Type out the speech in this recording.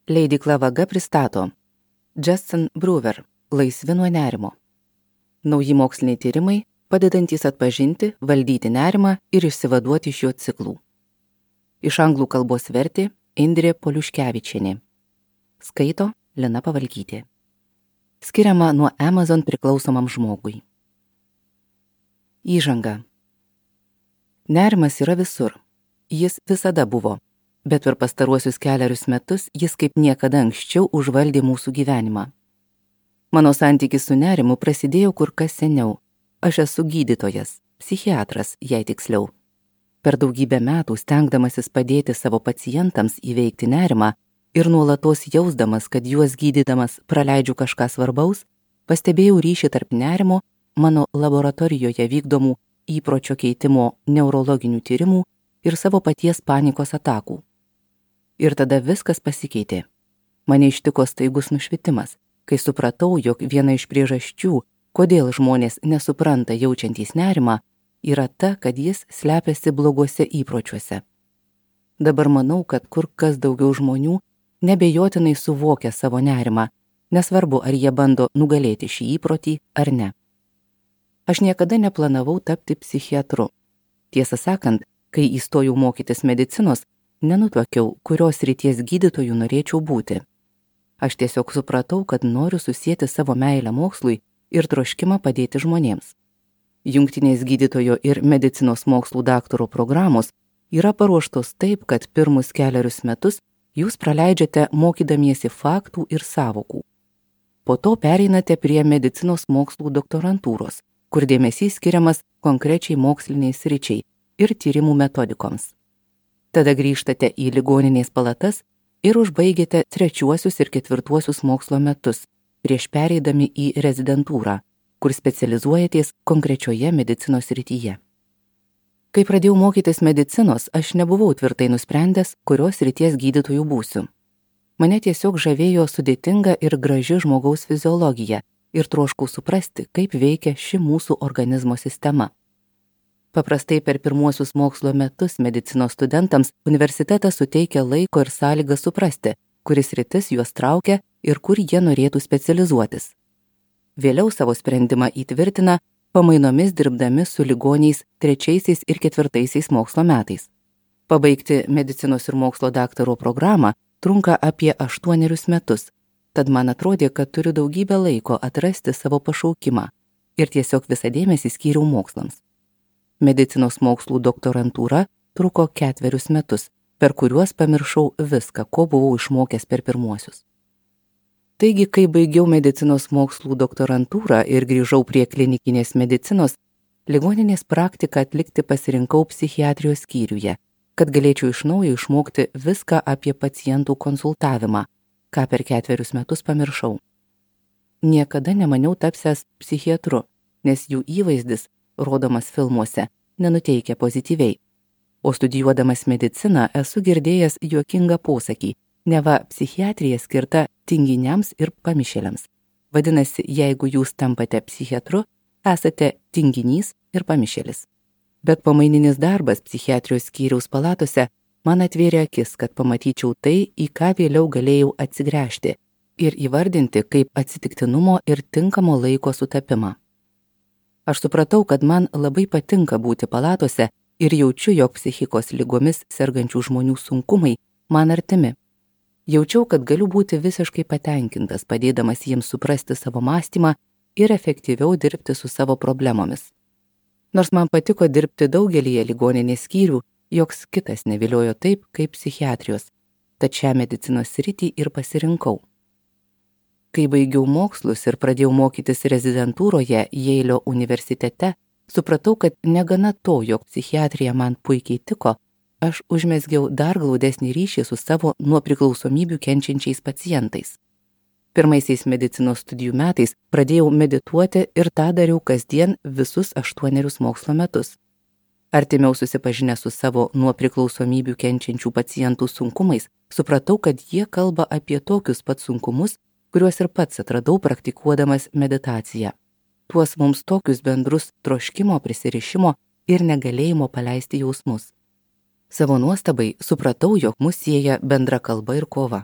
Leidykla Vaga pristato Justin Brewer Laisvi nuo nerimo. Nauji moksliniai tyrimai, padedantys atpažinti, valdyti nerimą ir išsivaduoti iš jo ciklų. Iš anglų kalbos vertė Indrė Poliuškevičienė. Skaito Lina Pavalkytė. Skiriama nuo Amazon priklausomam žmogui. Įžanga. Nerimas yra visur. Jis visada buvo. Bet per pastaruosius kelerius metus jis kaip niekada anksčiau užvaldė mūsų gyvenimą. Mano santykis su nerimu prasidėjo kur kas seniau. Aš esu gydytojas, psichiatras, jei tiksliau. Per daugybę metų stengdamasis padėti savo pacientams įveikti nerimą ir nuolatos jausdamas, kad juos gydydamas praleidžiu kažką svarbaus, pastebėjau ryšį tarp nerimo, mano laboratorijoje vykdomų įpročio keitimo neurologinių tyrimų ir savo paties panikos atakų. Ir tada viskas pasikeitė. Mane ištiko staigus nušvitimas, kai supratau, jog viena iš priežasčių, kodėl žmonės nesupranta jaučiantys nerimą, yra ta, kad jis slepiasi bloguose įpročiuose. Dabar manau, kad kur kas daugiau žmonių nebejotinai suvokia savo nerimą, nesvarbu, ar jie bando nugalėti šį įprotį ar ne. Aš niekada neplanavau tapti psichiatru. Tiesą sakant, kai įstojau mokytis medicinos, nenutuokiau, kurios srities gydytojų norėčiau būti. Aš tiesiog supratau, kad noriu susieti savo meilę mokslui ir troškimą padėti žmonėms. Jungtinės gydytojo ir medicinos mokslų daktaro programos yra paruoštos taip, kad pirmus kelerius metus jūs praleidžiate mokydamiesi faktų ir sąvokų. Po to pereinate prie medicinos mokslų doktorantūros, kur dėmesys skiriamas konkrečiai moksliniai sričiai ir tyrimų metodikoms. Tada grįžtate į ligoninės palatas ir užbaigiate 3. ir 4. mokslo metus, prieš pereidami į rezidentūrą, kur specializuojatės konkrečioje medicinos srityje. Kai pradėjau mokytis medicinos, aš nebuvau tvirtai nusprendęs, kurios srities gydytojų būsiu. Mane tiesiog žavėjo sudėtinga ir graži žmogaus fiziologija ir troškau suprasti, kaip veikia ši mūsų organizmo sistema. Paprastai per pirmuosius mokslo metus medicinos studentams universitetas suteikia laiko ir sąlygą suprasti, kuris sritis juos traukia ir kur jie norėtų specializuotis. Vėliau savo sprendimą įtvirtina pamainomis dirbdami su ligoniais 3. ir 4. mokslo metais. Pabaigti medicinos ir mokslo daktaro programą trunka apie 8 metus, tad man atrodė, kad turiu daugybę laiko atrasti savo pašaukimą ir tiesiog visą dėmesį skyriau mokslams. Medicinos mokslų doktorantūra truko 4 metus, per kuriuos pamiršau viską, ko buvau išmokęs per pirmuosius. Taigi, kai baigiau medicinos mokslų doktorantūrą ir grįžau prie klinikinės medicinos, ligoninės praktiką atlikti pasirinkau psichiatrijos skyriuje, kad galėčiau iš naujo išmokti viską apie pacientų konsultavimą, ką per 4 metus pamiršau. Niekada nemaniau tapsiąs psichiatru, nes jų įvaizdis, rodomas filmuose, nenuteikia pozityviai. O studijuodamas mediciną esu girdėjęs juokingą posakį, neva psichiatrija skirta tinginiams ir pamišėliams. Vadinasi, jeigu jūs tampate psichiatru, esate tinginys ir pamišėlis. Bet pamaininis darbas psichiatrijos skyriaus palatose man atvėrė akis, kad pamatyčiau tai, į ką vėliau galėjau atsigręžti ir įvardinti kaip atsitiktinumo ir tinkamo laiko sutapimą. Aš supratau, kad man labai patinka būti palatose ir jaučiu, jog psichikos ligomis sergančių žmonių sunkumai man artimi. Jaučiau, kad galiu būti visiškai patenkintas, padėdamas jiems suprasti savo mąstymą ir efektyviau dirbti su savo problemomis. Nors man patiko dirbti daugelyje ligoninės skyrių, joks kitas neviliojo taip, kaip psichiatrijos, tad šią medicinos sritį ir pasirinkau. Kai baigiau mokslus ir pradėjau mokytis rezidentūroje Jeilio universitete, supratau, kad negana to, jog psichiatrija man puikiai tiko, aš užmezgiau dar glaudesnį ryšį su savo nuo priklausomybių kenčiančiais pacientais. Pirmaisiais medicinos studijų metais pradėjau medituoti ir tą dariau kasdien visus 8 mokslo metus. Artimiau susipažinę su savo nuo priklausomybių kenčiančių pacientų sunkumais, supratau, kad jie kalba apie tokius pat sunkumus, kuriuos ir pats atradau praktikuodamas meditaciją. Tuos mums tokius bendrus troškimo, prisirišimo ir negalėjimo paleisti jausmus. Savo nuostabai supratau, jog mus sieja bendra kalba ir kova.